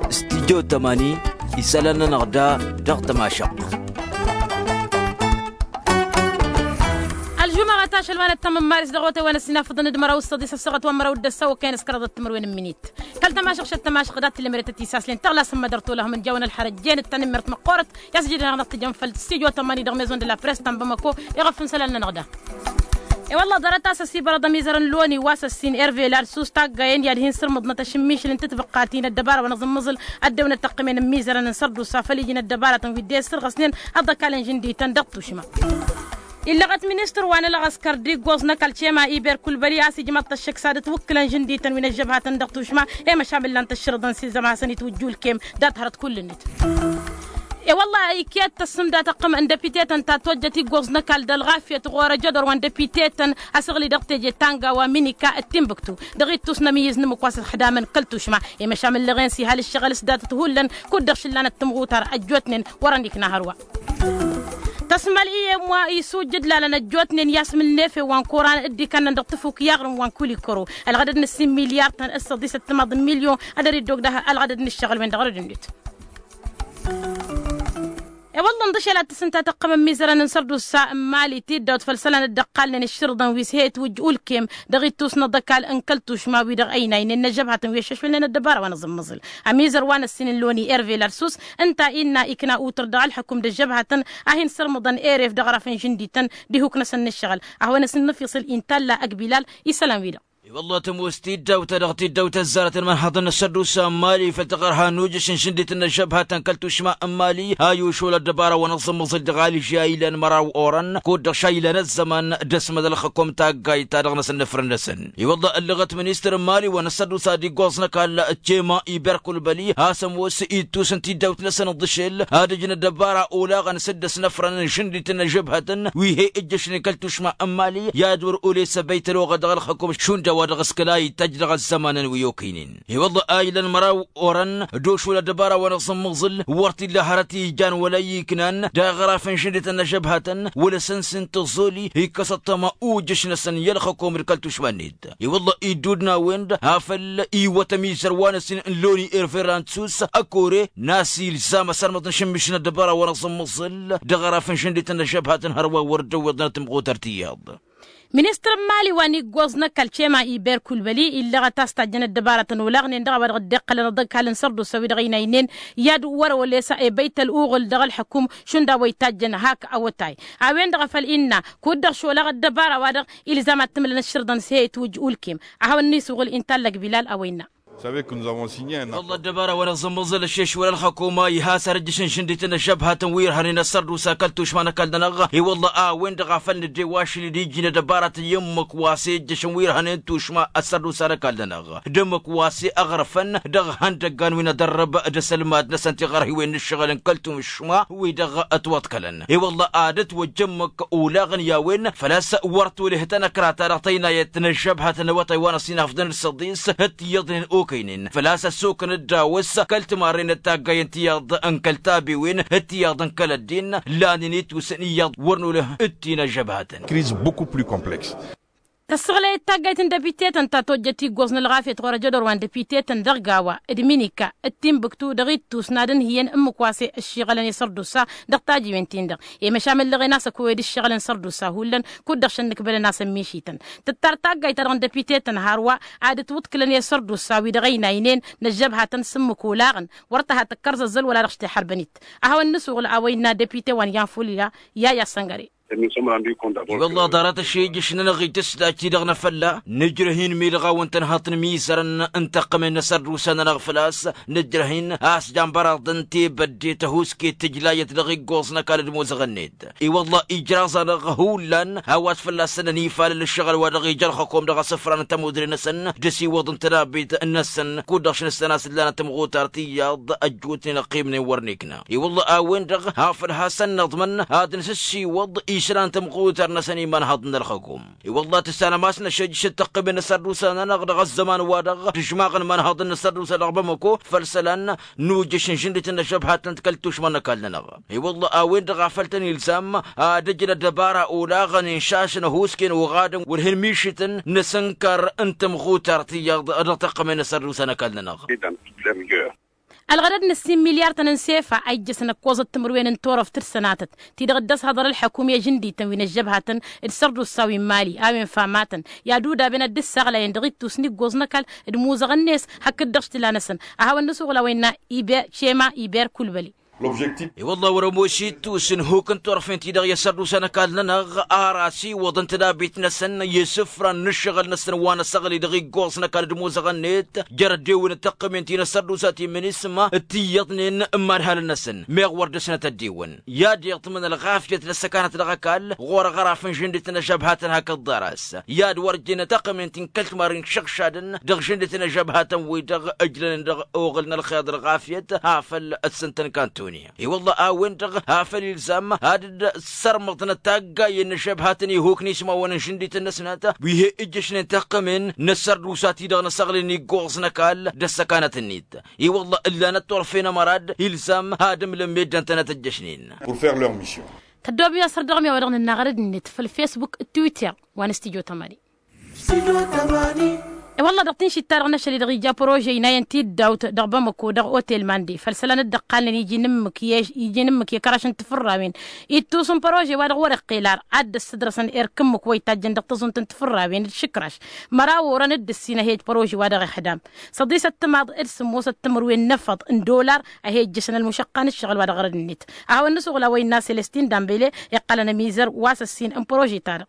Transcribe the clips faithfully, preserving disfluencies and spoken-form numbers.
Studyo tămani isălan-nănăɣ da dăɣ-tămašăɣt. Ălžumăɣăt ašăl wa n-ăttămăm maris dăɣ-otay wa n-ăssinafăḍăn d-măraw s-săḍis ăssăɣăt wa n-măraw d-ăssaw okăyăn s-kăraḍăt timǝrwen n-minit. Kăl-tămašăɣ šăt tămašăɣ dat-timǝret ătisaslen tăɣlasăm mădăr tolăhăm n-jawăn ălxărăt jen d-tanǝmmert măqqoorăt. I-a-s ǝjǝdănăɣ dăɣ-tijăn făll-studyo tămani dăɣ-maison de la press ta n-bamăko. Iɣăf n-isălan-nănăɣ da. I-wălla ḍarăt a-s ăsibărăḍ ămizărăn loni wa s-ăssin ervelad s-ustaggayăn i-ad-hin-sărmǝḍnăt ašǝmmišǝl n-tǝtbăqqatin ăddăbara wa n-aẓǝmmăẓǝl. Ăddewăn ăttăqqǝmen n-imizărăn n-sărdusa făll-iji n-ăddăbaratăn wi dd-e-sărɣăsnen ăḍḍăkal n-žǝndităn dăɣ-tušma. Illăɣăt ministăr wa n-ălɣăskăr d-iggoẓ n-ăkall cema iber kulbăli a-s ijmăḍ-t ăššăk s-ad-ǝtwǝkkǝlăn žǝndităn wi n-ăžžăbhatăn dăɣ-tušma. I-măšamǝllan tăššărǝḍăn s-izăm ad-hasăn-itwǝjjulkem dat-hărăt kull-net. I-wălla iket tăssǝmda tăqqǝm n-dăpitetăn ta tojjăt iggoẓ n-ăkall d-ălɣafyăt ɣur-ăjădor wa n-dăpitetăn. Asăɣli dăɣ-teje tanga wa minika d-timbuktu dăɣ-ittus n-ămiyǝz n-ǝmmǝk wa s-ălxǝdamăn kăl-tušma. I-măšamǝllăɣen s-ihal ǝššăɣǝl s-datăt hullan kud-dăɣ šǝllanăt tǝmɣutar ăjjootnen wărăn ikna hărwa. Tăsmăl iyyăm wa isujjǝd lalăn ăjjootnen i-asmǝl n-efe wa n-koran dd-ikănnăn dăɣ-tǝfuk i-aɣrǝm wa n-kulikăro. Ălɣădăd n-ǝssin milyar-tăn s-săḍisăt timaḍ n-milyon ad-ăridog dăɣ-ălɣădăd n-ǝššăɣǝl-wen dăɣ-răd-net. I-wălla ǝnḍǝšel ad-tǝsǝnta tăqqăm ămmizărăn n-sărdusa n-mali tiddawt făll-isălan dd-ăqqalnen ǝššǝrǝḍăn wi s-he-ătwǝjj ulkem dăɣ-ittus n-aḍăkal n-kăl-tušma wi-dăɣ ăynaynen n-ăžžăbhatăn wi ăššăšwălnen ăddăbara wa n-aẓǝmmăẓǝl. Ămizăr wa n-ăssin n-loni ervelad s-us ǝnta innă ikna utăr dăɣ-ălxăkum d-ăžžăbhatăn a hin-sărmǝḍăn eref dăɣ-ăraf n-žǝndităn d-ihuk-năsăn n-ǝššăɣǝl. A hawăn-asǝn n-ifisǝl intalla ăgg bilal isălan-wi-dăɣ. I-wălla tămoos tiddawt-ta-dăɣ tiddawt ăzzarăt n-imănhăḍăn n-asărdus n-mali făll-taɣărha n-ujǝš n-žǝndităn n-ăžžăbhatăn kăl-tušma n-mali a i-ušol ăddăbara wa n-aẓǝmmăẓǝl dăɣ-alži a ilan măraw orăn kud-dăɣ šaylăn ăzzăman d-asmăd ălxăkom taggayt-ta-dăɣ n-asǝnnǝfrăn-năsăn. I-wălla ăllăɣăt ministăr n-mali wa n-asărdus ad-iggoẓ n-ăkall cema iberkulbăli a-s ămoos ittus n-tiddawt-năsăn ǝḍḍǝšel ad-ǝjǝn ăddăbara olaɣăn s-dd-ăsnăfrăn n-žǝndităn n-ăžžăbhatăn wi he-ǝjjăšnen kăl-tušma n-mali i-ad-wăr-oles ăbăyt ăloɣăl dăɣ-ălxăkum šund a-wa dăɣ-s kăla itajj dăɣ-ăzzămanăn wi okăynen. I-wălla a ilăn măraw orăn d-ošul ăddăbara wa n-aẓǝmmăẓǝl wăr t-illa hărăt ijan wăla iknan dăɣ-aɣraf n-žǝndităn n-ăžžăbhatăn wăla s-ănsin tăẓoli ikkăs ăṭṭăma ujǝš-năsăn i-ălxăkom d-kăl-tušma-net. I-wălla iddud n-a-wen-dăɣ a făl iwăt ămizăr wa n-ăssin n-loni irverant s-us ăkore n-a-s ilzam ăsărmăḍ n-išǝmmiš n-ăddăbara wa n-aẓǝmmăẓǝl dăɣ-aɣraf n-žǝndităn n-ăžžăbhatăn hărwa wăr dd-ăwweḍnăt tǝmɣutăr tiyyăḍ. Ministăr n-mali wa n-iggoẓ n-ăkall cema iber kulbăli illăɣăt a-s tajjăn ăddăbaratăn olaɣnen dăɣ-a-wa dăɣ-dd-iqqălăn aḍăkal n-sărdusa wi-dăɣ ăynaynen i-ad-wăr-oles ebăyt ăluɣǝl dăɣ-ălxăkum šund a-wa itajjăn hak awătay. A-wen-dăɣ a făl innă kud-dăɣ šolaɣ ăddăbara-wa-dăɣ ilzam ad-t-ǝmlăn ăššărḍăn s-he-itwǝjj ulkem. A hawăn-nisuɣǝl inta ăllăg bilal a-wa innă. Wălla ăddăbara wa n-aẓǝmmăẓǝl ăššešwăl ălxăkum a iha s-arǝjjǝš n-žǝndităn ăžžăbhatăn wi irhănen ăssărdusa kăl-tušma n-ăkall-nănăɣ. I-wălla a-wen-dăɣ a făl nǝddewăšăl d-iji n-ăddăbaratăn i-ǝmmǝk wa s-ejjăšăn wi irhănen tušma ăssărdusa n-ăkall-nănăɣ d-ǝmmǝk wa s-eɣrăfăn dăɣ-ihăndăggan wi n-ad-ărrǝb d-asălmad-năsăn tiɣărhiwen n-ǝššăɣǝl n-kăl-tušma wi-dăɣ ătwăḍkălăn. I-wălla ad-ătwăjj ǝmmǝk olaɣăn i-a-wen făl-a-s wăr toleh tanăkra-ta-dăɣ tăynayăt n-ăžžăbhatăn n-awătay wa n-ăsinafḍăn d-săḍis d-tiyyăḍnen okăynen făl-a-s ăssokăn dd-awǝs kăl-timarren d-taggay n-tiyyăḍ n-kăl-tabewen d-tiyyăḍ n-kăl-ăddin. Lanen itwǝsăn iyyăḍ wăr noleh d-ti n-ăžžăbhatăn. Kriz beaucoup plus complexe. Tăssăɣlăyăt taggayt n-dăpitetăn ta tojjăt iggoẓ n-ălɣafyăt ɣur-ăjădor wa n-dăpitetăn dăɣ-gawa d-minika d-timbuktu dăɣ-ittus n-ad-ǝnhǝyăn ǝmmǝk wa s-e-ăššiɣălăn i-sărdusa dăɣ-tajiwen-tin-dăɣ. I-măšamăllăɣen a-s ăkăwăyăd ǝššăɣǝl n-sărdusa hullan kud-dăɣ šănnǝkbălăn a-s ămmišităn tǝttar taggayt-ta-dăɣ n-dăpitetăn hărwa ad-ǝtwǝḍkǝlăn i-sărdusa wi dăɣ-ăynaynen n-ăžžăbhatăn s-ǝmmǝk olaɣăn wăr tăha tǝkkăr zăzzăl wăla dăɣ-s teḥărbănit. A hawăn-nǝsuɣǝl a-wa innă dăpite wa n-iyan fulya i-a i-asăngăre. I-wălla ḍarăt ašejjǝš-nănăɣ itǝsdaj-ti-dăɣ n-afălla nǝjrăh-in mi-dăɣ a wăn-tănhăḍ n-imizărăn n-tăqqămen n-asărdusa-nănăɣ făl-a-s nǝjrăh-in a-s jambăraḍăn tebădde tăhuske tǝjlayăt dăɣ-iggoẓ n-ăkall d-imozăɣăn-net. I-wălla ijraẓ-anăɣ hullan a-wa s-fălla-săn ănifalăl ǝššăɣǝl wa dăɣ-ija ălxăkom dăɣ-asǝfra n-tămudre-năsăn d-asiwăḍ n-tănabit-năsăn kud-dăɣ šăn ǝssan a-s ǝllanăt tămɣutar tiyyăḍ ăjjootnen ăqqimnen wăr n-ikna. I-wălla a-wen-dăɣ a făl hasăn-năḍmăn ad-nǝsǝssiwăḍ i Išlan tămɣutar-năsăn imanhăḍ n-ălxăkum. I-wălla tǝssanăm a-s năšăjjăš d-tăqqămen n-asărdusa-nănăɣ dăɣ-ăzzăman-wa-dăɣ tǝžmaɣăn imanhăḍ n-asărdusa dăɣ-bamăko făll-isălan n-ujjăš n-žǝndit n-ăžžăbhatăn d-kăl-tušma n-ăkall-nănăɣ. I-wălla a-wen-dăɣ a făl tăn-ilzam ad-ǝjǝn ăddăbara olaɣăn inšašăn ăhuusken oɣadăn wăr hin-mišǝtăn n-asǝnkăr n-tămɣutar tiyyăḍ dăɣ-tăqqămen n-asărdusa n-ăkall-nănăɣ. Ălɣădăd n-ǝssin milyar-tăn n-sefa a ijjăsăn ăkkoẓăt timǝrwen n-turăft d-sănatăt ti-dăɣ dd-ăshăḍăr ălḥăkum i-ažǝndităn wi n-ăžžăbhatăn d-sărdusa wi n-mali a-wen famatăn i-ad-udaben ad-dd-ǝssaɣlayăn dăɣ-ittus n-iggoẓ n-ăkall d-imuzăɣăn-net hakd-dăɣ s-tǝla-năsăn. A hawăn-nǝsuɣǝl a-wa innă iber cema iber kulbăli. I-wălla wăr-ămoos ittus n-huk n-turfen-ti-dăɣ i-asărdusa n-ăkall-nănăɣ ar asiwăḍăn tadabit-năsăn i-isǝfran n-ǝššăɣǝl-năsăn wa n-asăɣli dăɣ-iggoẓ n-ăkall d-imuzăɣăn-net jer-ăddewen d-tăqqămen ti n-asărdusa ti n-minisma d-tiyyăḍnen n-imanhalăn-năsăn meɣ wăr dăr-snăt ăddiwăn i-ad-iḍmǝn ălɣafyăt n-ăssăkanăt dăɣ-ăkall ɣur-aɣraf n-žǝndit n-ăžžăbhatăn hakd ḍarăs i-ad-wăr jăn tăqqămen ti n-kăl-timarăn šăɣšadăn dăɣ-žǝndit n-ăžžăbhatăn-wi-dăɣ ǝjlănen dăɣ-oɣǝl n-ălxeḍ ălɣafyăt afăl ăssǝntăn kantoni. I-wălla a-wen-dăɣ a făl ilzam ad-dd-sărmăḍnăt taggayen n-ăžžăbhatăn ihuk n-ismawăn n-žǝndităn-năsnăt wi he-ǝjjăšnen tăqqămen n-ăssărdusa-ti-dăɣ n-asăɣli n-iggoẓ n-ăkall d-ăssăkanăt-net. I-wălla ǝllanăt turfen ămăra d-ilzam ad-ǝmlǝm meddǝn-tănăt ǝjjăšnen. Tăddoobem asăr dăɣ-mi a-wa dăɣ-nǝnna ɣărăd-net făll-fesbuk d-twitter wa n-studyo tămani. I-wălla dăɣ-tinšit-ta-dăɣ n-ašăl-i-dăɣ ija părože inayăn tiddawt dăɣ-bamăko dăɣ-otel mande făll-isălan dd-ăqqalnen iji n-ǝmmǝk i-kăraš n-tifǝrrawen. Ittus n-părože wa dăɣ-wăr-iqqel ar ad-dd-ăssǝdrăsăn erk ǝmmǝk wa itajjăn dăɣ-tăẓunt n-tifǝrrawen d-išǝkraš. Măraw orăn dd-ǝssin a he-ăj părože wa dăɣ-ihdam săḍisăt timaḍ d-sǝmmosăt timǝrwen n-efăḍ n-dollar a he-ǝjjăšăn ălmušăqqa n-ǝššăɣǝl wa dăɣ-ɣărăd-net. A hawăn-nǝsuɣǝl a-wa innă selestin dambele iqqălăn ămizăr wa s-ăssin n-părože-ta-dăɣ.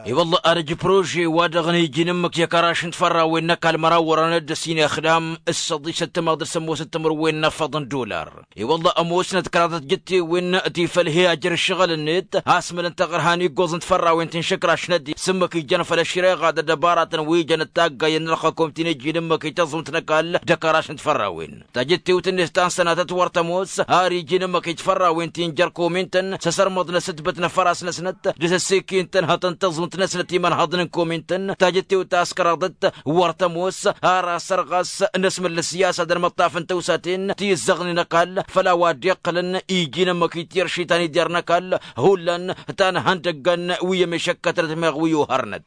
I-wălla ad-ăj prože-wa-dăɣ n-iji n-ǝmmǝk i-kăraš n-tifărrawen n-ăkall măraw wărăn dd-ăssin ixdam s-săḍisăt timaḍ d-sămmosăt timǝrwen n-efăḍ n-dollar. I-wălla ămoosnăt kăraḍăt jǝttewen ti făl he-ajăr ǝššăɣǝl-net asmălăn taɣărha n-iggoẓ n-tifărrawen ti n-išǝkraš n-ăddin s-ǝmmǝk ijăn făll-ăššăreɣa d-ăddăbaratăn wi jăn d-taggayen n-ălxăkom ti n-iji n-ǝmmǝk i-tăẓunt n-ăkall d-akăraš n-tifărrawen. Tajǝttewt-net ta n-sănatăt wăr tămoos har iji n-ǝmmǝk i-tifărrawen ti n-jer-komintăn s-asărmăḍ n-asǝtbǝt n-afăras-năsnăt d-asăssekintăn hătăn tăẓunt-năsnăt imănhăḍăn n-komintăn. Tajǝttewt ta s-kăraḍăt wăr tămoos har asăr ɣas n-asmǝl n-ăssiyasa d-ălmăṭṭaf n-tăwsaten ti ǝzzăɣnen ăkall făll-a-wa dd-iqqălăn iji n-ǝmmǝk i-tirši ta n-ider n-ăkall. Hullan ta n-ihăndăggăn wi ămešăkkătnăt meɣ wi ohărnăt.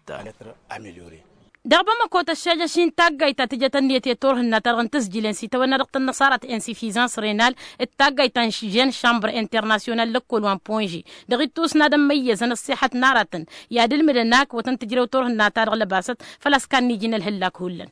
Dăɣ-bamăko tăššajăš-in taggayt ta tǝjăt ǝnniyăt i-turhǝnna-ta-dăɣ n-tǝzjǝlen s-itawănna dăɣ-tăn-năṣarăt n-sifizans renal d-taggayt ta n-žen šambr internasyonal lăkkol wa n-ponže. Dăɣ-ittus n-ad-ămmăyyăzăn ăṣṣiḥăt n-aratăn i-ad-ǝlmǝdăn akǝwăt n-tǝjrew turhǝnna-ta-dăɣ lăbasăt făl-a-s kannijǝn ălhǝllak hullan.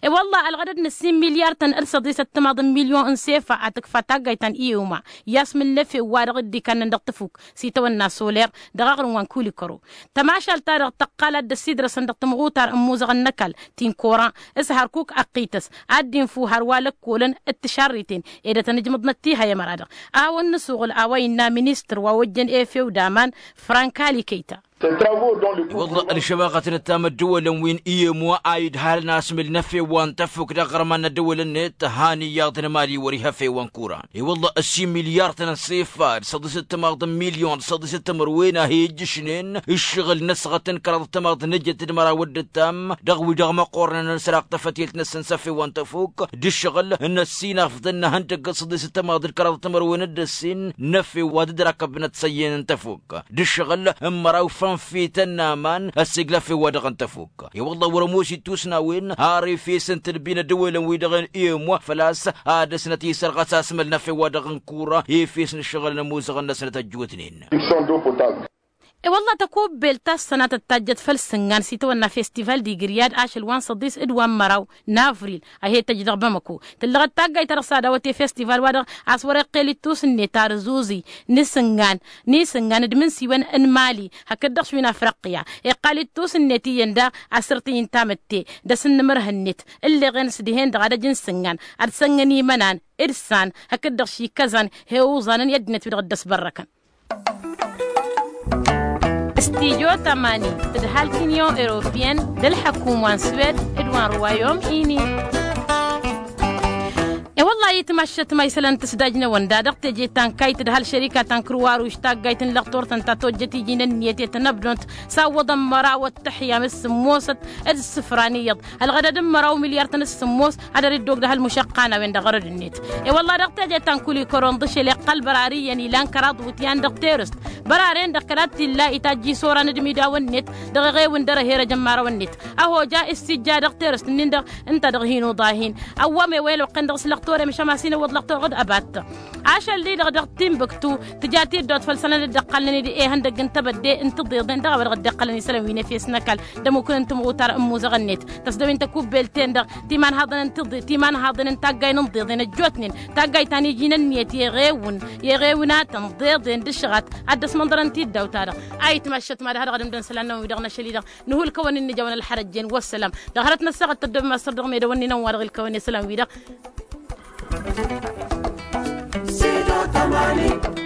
I-wălla ălɣădăd n-ǝssin milyar-tăn d-săḍisăt timaḍ n-milyon n-sefa a tǝkfa taggayt ta n-iuma i-asmǝl n-efew wa dăɣ-dd-ikannăn dăɣ-tăfuk s-itawănna soler dăɣ-aɣrǝm wa n-kulikăro. Tămašalt-ta-dăɣ tăqqal ad-dd-ăsidrăsăn dăɣ-tămɣutar n-imuzăɣăn n-ăkall ti n-koran s-hărkuk ăqqităs ad-dd-infǝw hărwa lăkkolăn d-tišarriten ed ad-tăn-ǝjmǝḍnăt tihăy ămăra-dăɣ. A hawăn-nǝsuɣǝl a-wa innă ministăr wa ojjăn efew d-aman frank ali kăyta. I-wălla ălšămaɣăt n-ǝttam ăddăwălăn wi n-iyem wa a idhalăn asmǝl n-efew wa n-tăfuk dăɣ-iɣărman n-ăddăwălăn-net han iyyăḍ n-mali wăr-iha efew wa n-kura. I-wălla ăssin milyar-tăn n-sefad săḍisăt timaḍ n-milyon săḍisăt timǝrwen a hi-ijjǝšnen ǝššăɣǝl n-asɣăt n-kăraḍăt timaḍ n-ejăt d-măraw d-ǝttam dăɣ-wi-dăɣ măqqornen n-săraɣ tafătilt-năsăn s-efew wa n-tăfuk d-ǝššăɣǝl n-ăssinafḍăn n-ihăndăgg săḍisăt timaḍ d-kăraḍăt timǝrwen d-ǝssin n-efew wa dd-răkăbnăt săyyen n-tăfuk d-ǝššăɣǝl n-măraw fănfităn n-aman ăssiglăf i-wa-dăɣ n-tăfuk. I-wălla wăr-ămoos ittus n-a-wen har efes n-tǝlbi n-ăddăwălăn-wi-dăɣ n-iyem wa făl-a-s ad-dăr-snăt isărɣăs asmăl n-efew wa dăɣ-n kura efes n-ǝššăɣǝl n-ămuzăɣăn-năsnăt ăjjootnen. I-wălla tăkubbelt ta s-sănatăt tajjăt făll-sǝngan s-itawănna festival d-igryad ašăl wa n-săḍis d-wa n-măraw n-avril a he-tăjj dăɣ-bamăko. Tǝllăɣăt taggayt-ta-dăɣ s-ad-awăt i-festival wa-dăɣ a-s wăr-iqqel ittus-net ar zuẓi n-isǝngan n-isǝngan d-imǝnsiwăn n-mali hakd-dăɣ š-wi n-afriqya. Iqqal ittus-net iyyăn daɣ asǝrt i-intamǝtte d-asǝnnǝmărh-net ǝlleɣen s-dihen-dăɣ ad-ăj n-isǝngan ad-sănnăn imănan d-issan hakd-dăɣ š-ikăzăn he-uẓanăn i-ăddinăt wi-dăɣ dd-ăsbărrăkăn. Studyo tămani tǝdhal kǝnyon europiyăn d-ălḥăkum wa n-swed d-wa n-ruwayom ini. Wăllah itmaššăt ma isălan tǝsdajnăwăn da dăɣ-teje ta n-kayt d-hal šărika ta n-kǝrwaruš taggayt n-lăɣ turtăn ta tojjăt iji n-ǝnniyăt i-tănăbdont. S-awwăḍăn măraw ăttăḥya m-ǝssǝmmosăt d-ǝssǝfran iyyăḍ ălɣădăd n-măraw milyar-tăn ǝssǝmmos. Ad-ăriddog d-ahăl mušăqqanăwen dăɣ-arăd-net. I-wălla dăɣ-teje ta n-kuli kăron dăɣ-šel iqqăl bărari iyyăn ilan kăraḍ wǝtyan dăɣ-terăst. Băraren-dăɣ kăla t-illa itajj isoran d-imidawăn-net dăɣ-eɣewǝn dăr-eherăj ămmarăwăn-net. Ăhoja issijja dăɣ-terăst-nin-dăɣ ǝnta dăɣ-hin-uḍa-hin. Ăwwăm ewăyăn oqqăn dăɣ-s lăxtorem šămasin ăwwăḍ lăxtor ɣǝd ăbat. Ašăl-di-dăɣ dăɣ-timbǝktu tǝja tiddawt făll-isălan dd-iqqălnen d-ehăndăgg n-tebădde n-tiḍeḍen dăɣ-a-wa dăɣ-dd-iqqălăn isălan wi n-efes n-ăkall d-ămmukǝn n-timɣutar n-imuzăɣ-net. Tăsdăwin tăkubbelt-en-dăɣ timanhaḍăn n-tiḍeḍen timanhaḍăn n-taggay n-inḍeḍen ăjjootnen. Taggayt ta n-iji n-ǝnniyăt i-eɣewǝn i-eɣewǝnatăn ḍeḍen d-ašăɣat ad-dd-ăsmănḍărăn tiddaw-ta-dăɣ. A itmaššăt mad-ha-dăɣ ad-ǝmdăn isălan-năwăn-wi-dăɣ n-ašăl-i-dăɣ. Nǝhu ǝlkăwăn-in nǝja wăn ălxărăjjen wăssălam. Dăɣ-hărăt n-ăssaɣăt tăddobem a-s săr-dăɣ medăwăn-in ănwa-dăɣ ǝlkăwăn i-isălan-wi-dăɣ. Sido tamani.